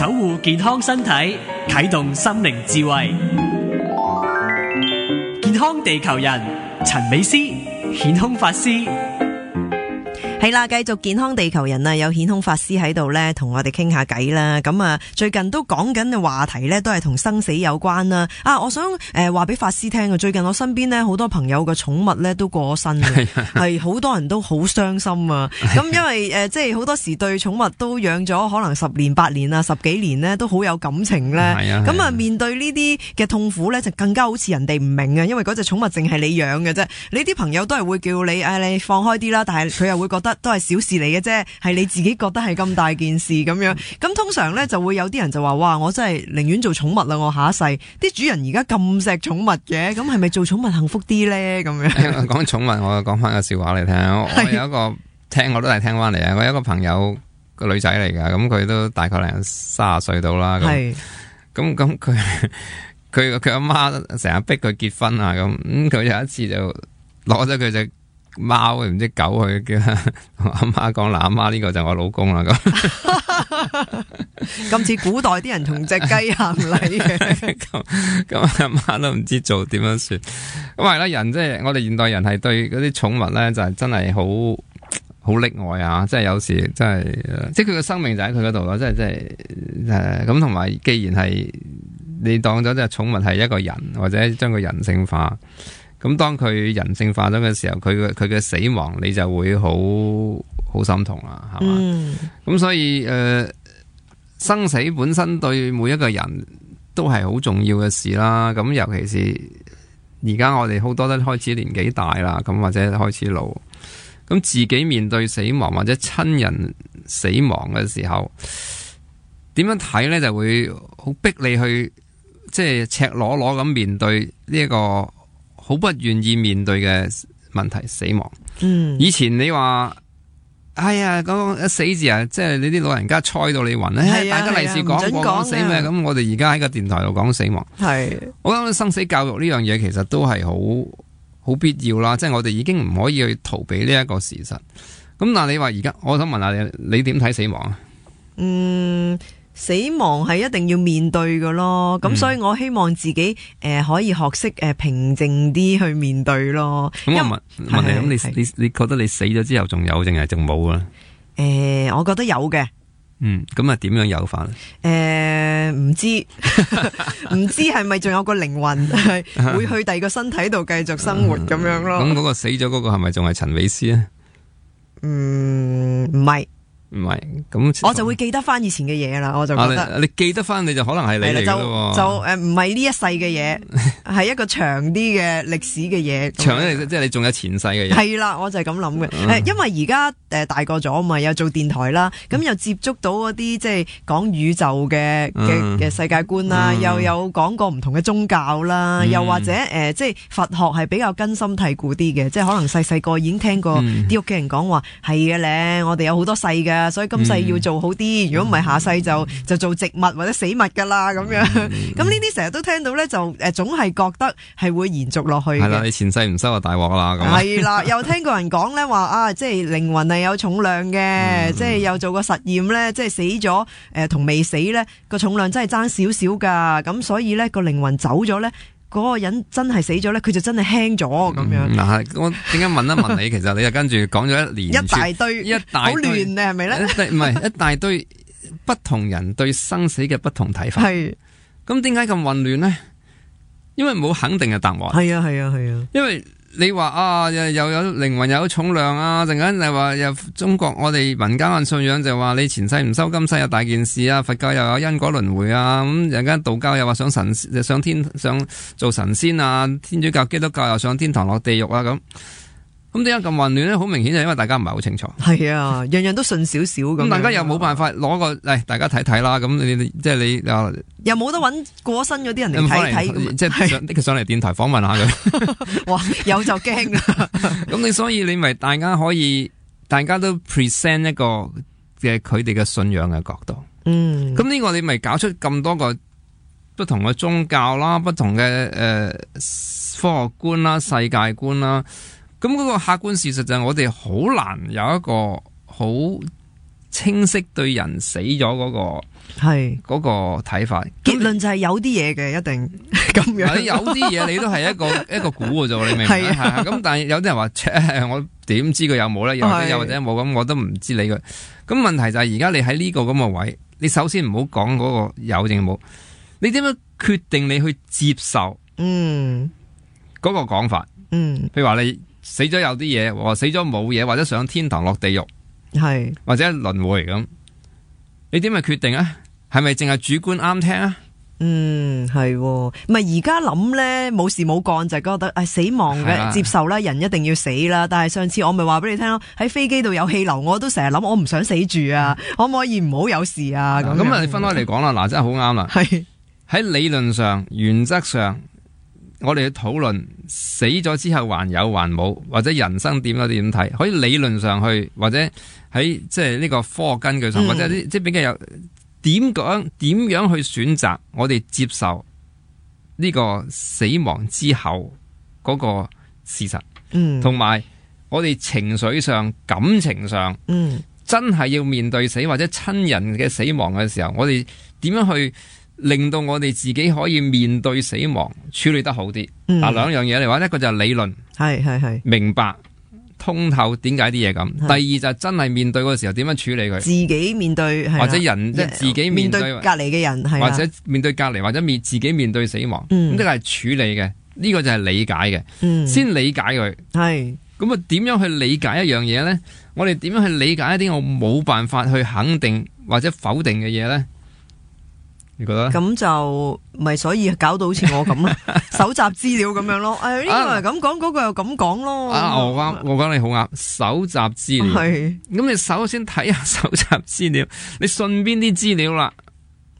守護健康身體，啟動心靈智慧。健康地球人陳美詩顯空法師。係啦，繼續健康地球人啊，有顯空法師喺度咧，同我哋傾下偈啦。咁啊，最近都講緊嘅話題咧，都係同生死有關啦。我想話俾法師聽啊，最近我身邊咧好多朋友嘅寵物咧都過咗身嘅，係好多人都好傷心啊。咁因為即係好多時對寵物都養咗可能10年8年啊10幾年咧，都好有感情咧。咁啊，面對呢啲嘅痛苦咧，就更加好似人哋唔明啊，因為嗰隻寵物淨係你養嘅啫，你啲朋友都係會叫你你放開啲啦，但係佢又會覺得都係小事嚟嘅啫，係你自己覺得係咁大件事咁樣。咁通常咧就會有啲人就話：哇，我真係寧願做寵物啦，我下一世。啲主人而家咁錫寵物嘅，咁係咪做寵物幸福啲咧？咁樣講寵物，我講翻個笑話嚟聽。我有一個我都係聽翻嚟啊。我有一個朋友個女仔嚟噶，咁佢都大概30歲到啦。咁佢阿媽成日逼佢結婚啊，咁佢有一次就攞咗佢隻貓唔知狗去叫阿媽講，嗱，阿媽呢個就我老公啦。咁似古代啲人同隻雞行禮嘅。咁阿媽都唔知做點樣算。咁係啦，人即係我哋現代人係對嗰啲寵物咧就係真係好溺愛啊！即係有時真係，即係佢嘅生命就喺佢嗰度咯。即係咁，同埋既然係你當咗隻寵物係一個人，或者將佢人性化。咁當佢人性化咗嘅時候，佢嘅死亡你就會好心痛啦，係嘛？咁所以生死本身對每一個人都係好重要嘅事啦。咁尤其是而家我哋好多都開始年紀大啦，咁或者開始老，咁自己面對死亡或者親人死亡嘅時候，點樣睇呢？就會好逼你去即係赤裸裸咁面對呢一個好不願意面對嘅問題，死亡。以前你話，哎呀，嗰個死字啊，即係你啲老人家猜到你暈咧，大家利是講過死咩？咁我哋而家喺個電台度講死亡，我諗生死教育呢樣嘢其實都係好必要啦。即係我哋已經唔可以去逃避呢一個事實。咁但係你話而家，我想問下你點睇死亡啊？死亡係一定要面對嘅咯，咁所以我希望自己可以學識平靜啲去面對咯。咁我問你，咁你覺得你死咗之後仲有定係仲冇啊？我覺得有嘅。咁啊點樣有法咧？唔知唔知係咪仲有個靈魂係會去第二個身體度繼續生活咁樣咯？咁嗰個死咗嗰個係咪仲係陳美詩啊？唔係。唔係，咁我就會記得翻以前嘅嘢啦，我就覺得你記得翻，你就可能係你嚟嘅咯。就唔係呢一世嘅嘢，係一個長啲嘅歷史嘅嘢。長啲即係你仲有前世嘅嘢。係啦，我就係咁諗嘅。因為而家大個咗嘛，又做電台啦，咁又接觸到嗰啲即係講宇宙嘅世界觀啦，又有講過唔同嘅宗教啦，又或者即係佛學係比較根深蒂固啲嘅，即係可能細個已經聽過啲屋企人講話係嘅咧，我哋有好多世㗎。所以今世要做好啲，如果唔係下世就做植物或者死物噶啦咁樣。咁呢啲成日都聽到咧，就總係覺得係會延續落去嘅。係啦，你前世唔收就大鑊啦。咁係啦，又聽過人講咧話即係靈魂係有重量嘅，即係又做過實驗咧，即係死咗同未死咧個重量真係爭少少噶。咁所以咧個靈魂走咗咧，嗰個人真係死咗咧，佢就真係輕咗咁樣。嗱，我點解問一問你？其實你就跟住講咗一連串一大堆好亂啊，係咪咧？唔係一大堆不同人對生死嘅不同睇法。係咁點解咁混亂呢？因為冇肯定嘅答案。係啊。因為你話又有靈魂又有重量啊，陣間就話又中國我哋民間嘅信仰就話你前世唔收今世有大件事啊，佛教又有因果輪迴啊，咁陣間道教又話上天上做神仙啊，天主教基督教又上天堂落地獄啊咁點解咁混亂咧？好明顯就因為大家唔係好清楚。係啊，樣樣都信少少咁。大家又冇辦法攞個大家睇睇啦。咁你即係你又冇得揾過身嗰啲人嚟睇睇，即係拎佢上嚟電台訪問下佢。哇，有就驚啦。咁所以你咪大家都 present 一個嘅佢哋嘅信仰嘅角度。咁呢個你咪搞出咁多個不同嘅宗教啦，不同嘅科學觀啦、世界觀啦。咁嗰個客觀事實就係我哋好難有一個好清晰對人死咗嗰個睇法。結論就係有啲嘢嘅，一定咁樣。有啲嘢你都係一個估嘅啫，你明唔明？係咁，但係有啲人話，我點知佢有冇咧？又或者冇咁，我都唔知你佢。咁問題就係而家你喺呢個咁嘅位，你首先唔好講嗰個有定冇，你點樣決定你去接受嗰個講法？譬如話你死咗有啲嘢，或死咗冇嘢，或者上天堂落地獄，或者輪迴咁，你點去決定啊？係咪淨係主觀啱聽啊？係，唔係而家諗咧，冇事冇幹就覺得死亡嘅接受啦，人一定要死啦。但係上次我咪話俾你聽咯，喺飛機度有氣流，我都成日諗，我唔想死住啊，可唔可以唔好有事啊？咁啊，你分開嚟講啦，嗱，真係好啱啦。喺理論上、原則上，我哋去討論死咗之後還有還冇，或者人生點睇，可以理論上去，或者喺即係呢個科學根據上，或者即係比較有。點樣去選擇我哋接受呢個死亡之後嗰個事實，同埋我哋情緒上、感情上，真係要面對死或者親人嘅死亡嘅時候，我哋點樣去令到我哋自己可以面對死亡處理得好啲？嗱，兩樣嘢嚟話，一個就係理論，係明白。通透點解啲嘢咁？第二就係真係面對嗰個時候點樣處理佢？自己面對，或者人即係自己面對隔離嘅人，或者面對隔離，或者自己面對死亡，咁呢個係處理嘅。呢個就係理解嘅，先理解佢。咁啊，點樣去理解一樣嘢咧？我哋點樣去理解一啲我冇辦法去肯定或者否定嘅嘢咧？你覺得？咁就咪所以搞到好似我咁咯，搜集資料咁樣咯。呢個係咁講，嗰個又咁講咯。我講你好啱，搜集資料。咁你首先睇下搜集資料，你信邊啲資料啦？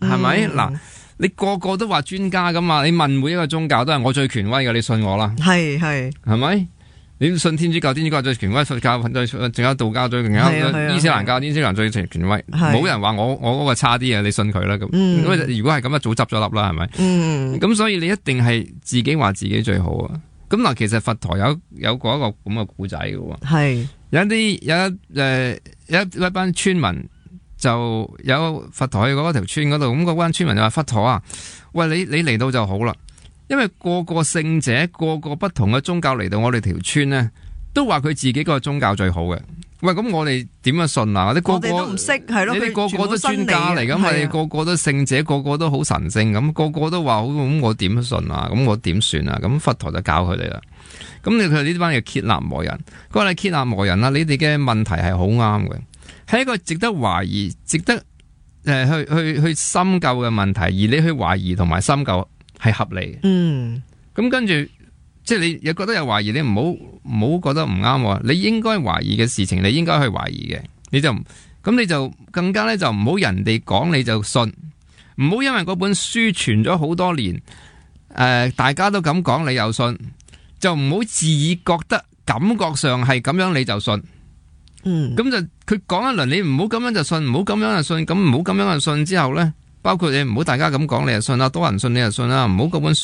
係咪？嗱，你個個都話專家噶嘛？你問每一個宗教都係我最權威嘅，你信我啦。係咪？你信天主教，天主教最權威，佛教仲有道教最權威，伊斯蘭教伊斯蘭最權威，冇人話我嗰個差啲啊！你信佢啦咁。如果係咁啊，早執咗粒啦，係咪？咁所以你一定係自己話自己最好啊！咁嗱，其實佛陀有過一個咁嘅故仔嘅喎，有一班村民就有佛陀去嗰條村嗰度，咁嗰班村民就話佛陀啊，喂，你嚟到就好啦。因為個個聖者，個個不同嘅宗教嚟到我哋條村呢，都話佢自己個宗教最好嘅。喂，咁我哋點樣信啊？我哋都唔識，係咯，你哋個個都專家嚟，咁我哋個個都聖者，個個都好神聖，咁個個都話好，咁我點信啊？咁我點算啊？咁佛陀就教佢哋啦。咁佢哋呢班叫羯納磨人，佢話你羯納磨人啦，你哋嘅問題係好啱嘅，係一個值得懷疑、值得去深究嘅問題，而你去懷疑同埋深究係合理嘅。咁跟住，即係你又覺得有懷疑，你唔好覺得唔啱。你應該懷疑嘅事情，你應該去懷疑嘅。你就更加咧，就唔好人哋講你就信，唔好因為嗰本書傳咗好多年，大家都咁講你又信，就唔好自己覺得感覺上係咁樣你就信。咁就佢講一輪，你唔好咁樣就信，唔好咁樣就信，咁唔好咁樣就信之後咧。包括你唔好大家咁講，你就信啦；多人信你就信啦。唔好嗰本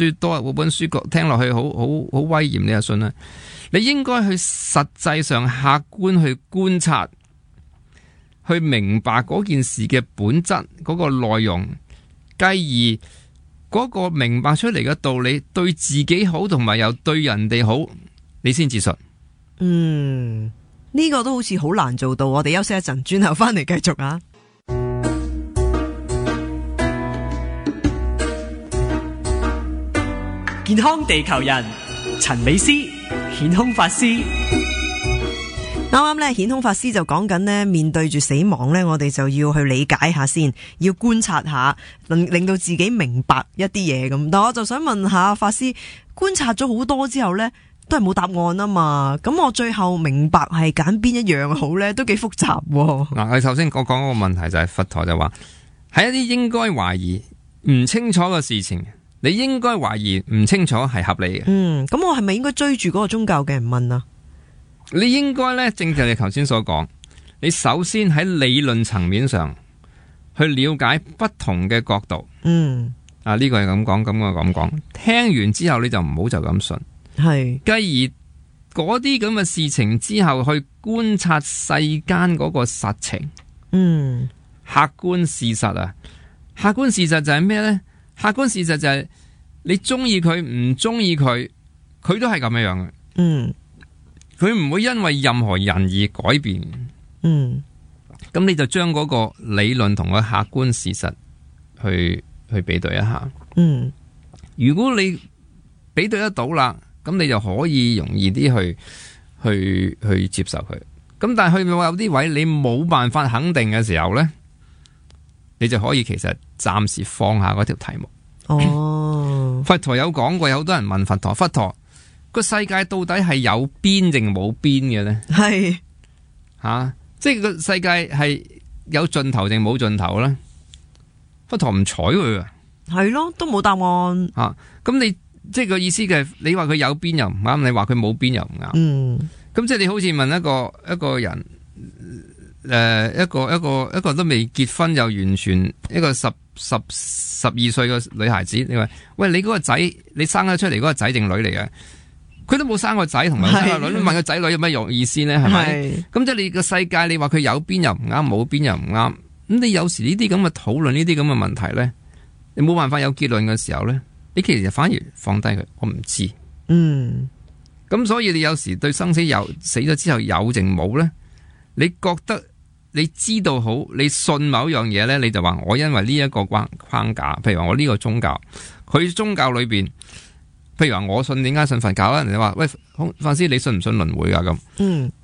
書聽落去好威嚴，你就信啦。你應該去實際上客觀去觀察，去明白嗰件事嘅本質，嗰個內容，繼而嗰個明白出嚟嘅道理對自己好，同埋又對人哋好，你先至信。呢個都好似好難做到。我哋休息一陣，轉頭翻嚟繼續啊。健康地球人陳美詩顯空法師，啱啱咧顯空法師就講緊呢，面對住死亡呢，我哋就要去理解下先，要觀察下，令到自己明白一啲嘢咁。但我就想問下法師，觀察咗好多之後呢，都係冇答案啊嘛。咁我最後明白係揀邊一樣好呢？都幾複雜。嗱，我首先我講嗰個問題就係佛陀就話，喺一啲應該懷疑唔清楚嘅事情，你應該懷疑唔清楚係合理嘅。咁我係咪應該追住嗰個宗教嘅人問啊？你應該咧，正如你頭先所講，你首先喺理論層面上去了解不同嘅角度。呢個係咁講，咁個咁講。聽完之後你就唔好就咁信。係。繼而嗰啲咁嘅事情之後，去觀察世間嗰個實情，客觀事實啊，客觀事實就係咩呢？客觀事實就係你中意佢唔中意佢，佢都係咁樣樣嘅。佢唔會因為任何人而改變。咁你就將嗰個理論同個客觀事實去比對一下。如果你比對得到啦，咁你就可以容易啲去接受佢。咁但係去到有啲位你冇辦法肯定嘅時候呢，你就可以其實暫時放下嗰條題目。佛陀有講過，有好多人問佛陀，佛陀個世界到底係有邊定冇邊嘅呢？係即係個世界係有盡頭定冇盡頭呢？佛陀唔睬佢啊，係咯，都冇答案。咁你即係個意思嘅，你話佢有邊又唔啱，你話佢冇邊又唔啱。咁即係你好似問一個人，一個都未結婚又完全一個12歲嘅女孩子，你話喂，你嗰個仔，你生咗出嚟嗰個仔定女嚟嘅？佢都冇生個仔同埋生個女，問個仔女有咩用意思呢？係咪？咁即係你個世界，你話佢有邊又唔啱，冇邊又唔啱。咁你有時呢啲咁嘅討論，呢啲咁嘅問題呢，你冇辦法有結論嘅時候呢，你其實反而放低佢，我唔知。咁所以你有時對生死死咗之後有定冇呢？你覺得你知道好，你信某樣嘢呢，你就話我因為呢一個框架，譬如話我呢個宗教，佢宗教裏邊，譬如話我信，點解信佛教啊？人哋話喂，法師你信唔信輪迴噶咁？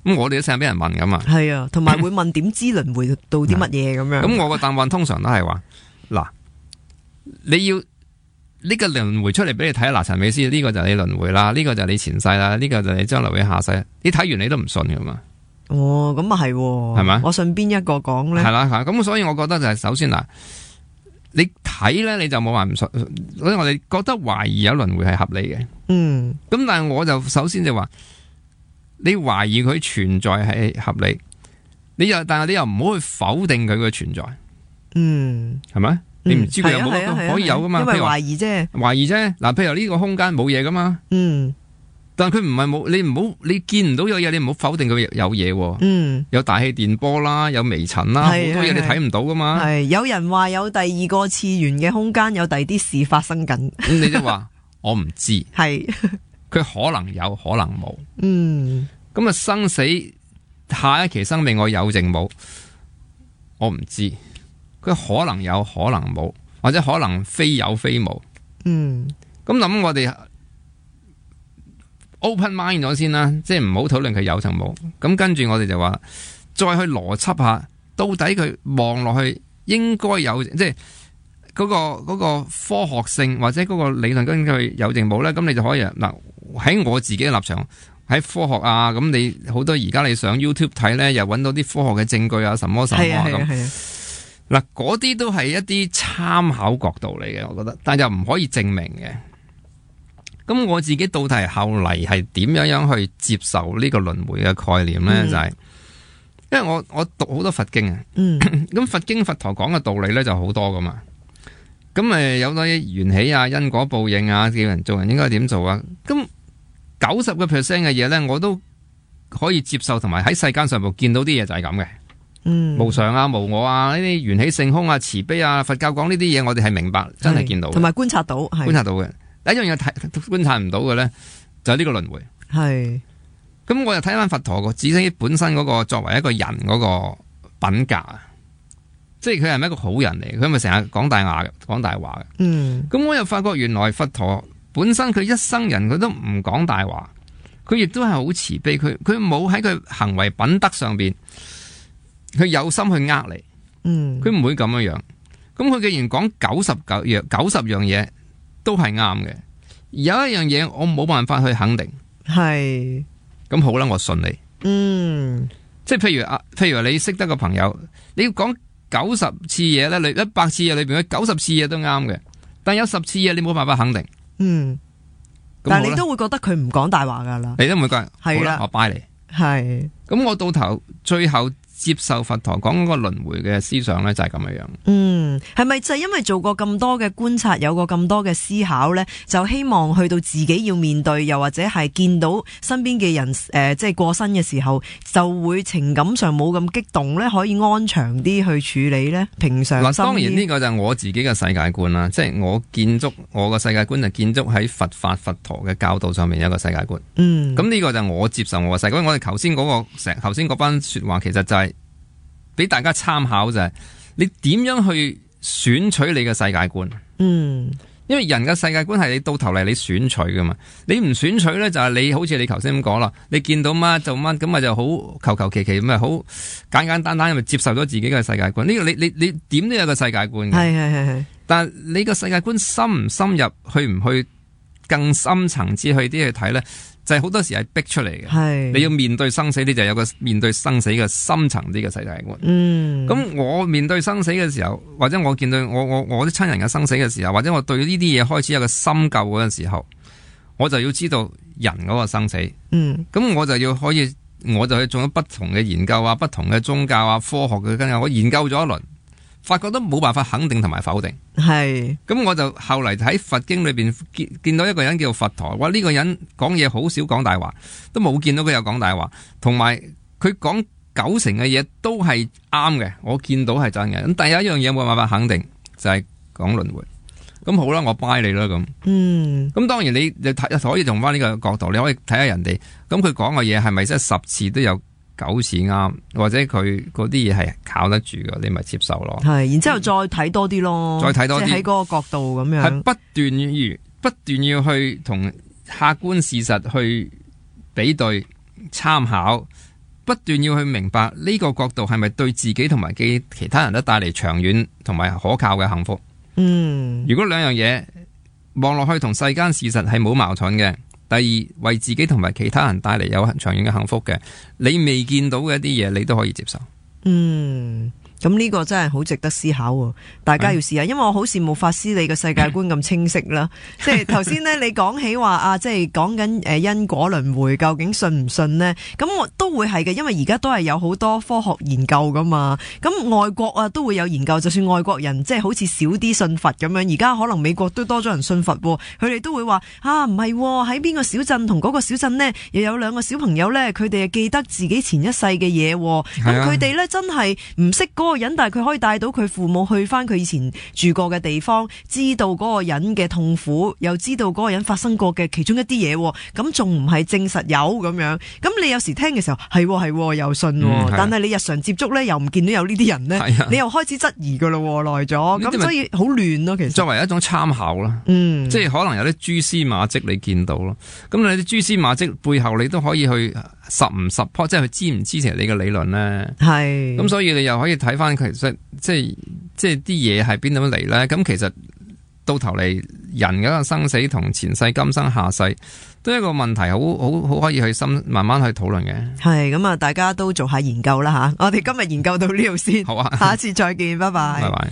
咁我哋都成日俾人問噶嘛。係啊，同埋會問點知輪迴到啲乜嘢咁樣。咁我個答案通常都係話嗱，你要呢個輪迴出嚟俾你睇，嗱，陳美師呢個就係你輪迴啦，呢個就係你前世啦，呢個就係你將來會下世。你睇完你都唔信噶嘛？哦，咁啊係，係咪？我信邊一個講咧？係啦，咁所以我覺得就係首先嗱，你睇咧你就冇話唔信，所以我哋覺得懷疑有輪迴係合理嘅。咁但係我就首先就話，你懷疑佢存在係合理，但係你又唔好去否定佢嘅存在。係咪？你唔知佢有冇可以有噶嘛？因為懷疑啫。懷疑啫。嗱，譬如呢個空間冇嘢噶嘛。但係佢唔係冇，你見唔到有嘢，你唔好否定佢有嘢。有大氣電波啦，有微塵啦，好多嘢你睇唔到噶嘛。係有人話有第二個次元嘅空間，有第二啲事發生緊。咁你就話我唔知。係佢可能有，可能冇。咁啊，生死下一期生命我有定冇，我唔知。佢可能有，可能冇，或者可能非有非無。咁諗我哋 open mind 咗先啦，即係唔好討論佢有定冇。咁跟住我哋就話，再去邏輯下，到底佢望落去應該有，即係嗰個科學性或者嗰個理論根據有定冇咧？咁你就可以嗱，喺我自己嘅立場，喺科學啊，咁你好多而家你上 YouTube 睇咧，又揾到啲科學嘅證據啊，什麼咁。嗱，嗰啲都係一啲參考角度嚟嘅，我覺得，但又唔可以證明嘅。咁我自己到底後嚟係點樣去接受呢個輪迴嘅概念呢？就係因為我讀好多佛經啊，咁佛經佛陀講嘅道理呢就好多噶嘛。咁有啲緣起啊、因果報應啊，叫人做人應該點做啊。咁90%嘅嘢呢，我都可以接受，同埋喺世間上部見到啲嘢就係咁嘅。無常啊、無我啊、呢啲緣起性空啊、慈悲啊，佛教講呢啲嘢，我哋係明白，真係見到，同埋觀察到，觀察到嘅。第一樣嘢觀察唔到嘅咧，就係呢個輪迴。係。咁我又睇翻佛陀個自己本身嗰個作為一個人嗰個品格啊，即係佢係咪一個好人嚟？佢咪成日講大話嘅。咁我又發覺原來佛陀本身佢一生人佢都唔講大話，佢亦都係好慈悲，佢冇喺佢行為品德上邊。佢有心去呃你，佢唔會咁樣樣。咁佢既然講90樣嘢都係啱嘅，有一樣嘢我冇辦法去肯定，係咁好啦，我信你。即係譬如你識得個朋友，你要講90次嘢咧，你100次嘢裏邊，佢90次嘢都啱嘅，但有10次嘢你冇辦法肯定。但係你都會覺得佢唔講大話噶啦，你都唔會覺好啦，我拜你。係咁，我到頭最後接受佛陀講嗰個輪迴嘅思想咧，就係咁樣樣。係咪就係因為做過咁多嘅觀察，有過咁多嘅思考呢？就希望去到自己要面對，又或者係見到身邊嘅人即係過身嘅時候，就會情感上冇咁激動呢，可以安詳啲去處理呢？平常心。當然呢個就係我自己嘅世界觀啦，即係我個世界觀就建築喺佛法佛陀嘅教導上面有一個世界觀。咁呢個就係我接受我嘅世界觀。我哋頭先嗰班說話，其實就係俾大家參考，就係你點樣去選取你嘅世界觀。因為人嘅世界觀係你到頭嚟你選取噶嘛，你唔選取咧就係你好似你頭先咁講啦，你見到乜就乜，咁咪就好求其咁咪好簡簡單單咪接受咗自己嘅世界觀。呢個你點都有個世界觀嘅，係。但係你個世界觀深唔深入，去唔去更深層次去啲去睇咧？就係好多時係逼出嚟嘅，你要面對生死，你就有個面對生死嘅深層啲嘅世界觀。咁我面對生死嘅時候，或者我見到我啲親人嘅生死嘅時候，或者我對呢啲嘢開始有個深究嗰陣時候，我就要知道人嗰個生死。咁我就去做咗不同嘅研究啊，不同嘅宗教啊，科學嘅根據，我研究咗一輪，發覺都冇辦法肯定同埋否定。咁我就後嚟喺佛經裏邊見到一個人叫佛陀，哇！呢個人講嘢好少講大話，都冇見到佢有講大話，同埋佢講90%嘅嘢都係啱嘅，我見到係真嘅。咁但係有一樣嘢冇辦法肯定，就係講輪迴。咁好啦，我 buy 你啦咁。咁當然你可以用翻呢個角度，你可以睇下人哋，咁佢講嘅嘢係咪真係10次都有9次啱，或者佢嗰啲嘢係靠得住嘅，你咪接受咯。然之後再睇多啲咯，再睇多啲，即係喺嗰個角度咁樣，係不斷要去同客觀事實去比對參考，不斷要去明白呢個角度係咪對自己同埋其他人都帶嚟長遠同埋可靠嘅幸福。如果兩樣嘢望落去同世間事實係冇矛盾嘅。第二，為自己同埋其他人帶嚟有長遠嘅幸福嘅，你未見到嘅一啲嘢，你都可以接受。咁呢個真係好值得思考喎，大家要試下，因為我好羨慕法師你嘅世界觀咁清晰啦。即係頭先呢，你講起話啊，即係講緊因果輪迴，究竟信唔信呢？咁我都會係嘅，因為而家都係有好多科學研究噶嘛。咁外國啊都會有研究，就算外國人即係好似少啲信佛咁樣，而家可能美國都多咗人信佛，佢哋都會話啊唔係喺邊個小鎮同嗰個小鎮呢，又有2個小朋友呢，佢哋記得自己前一世嘅嘢，咁佢哋呢，真係唔識嗰個人，但係佢可以帶到佢父母去翻佢以前住過嘅地方，知道嗰個人嘅痛苦，又知道嗰個人發生過嘅其中一啲嘢，咁仲唔係證實有咁樣？咁你有時聽嘅時候係又信，但係你日常接觸呢，又唔見到有呢啲人呢，你又開始質疑噶咯，耐咗，咁所以好亂咯。其實作為一種參考啦，即係可能有啲蛛絲馬跡你見到咯，咁你啲蛛絲馬跡背後你都可以去實唔實即係佢支唔支持你嘅理論咧？咁所以你又可以睇翻其實即係啲嘢係邊度嚟咧？咁其實到頭嚟人嗰個生死同前世今生下世都係一個問題，好可以去慢慢去討論嘅。係咁啊，大家都做下研究啦吓。我哋今日研究到呢度先，好啊，下一次再見，拜拜。拜拜。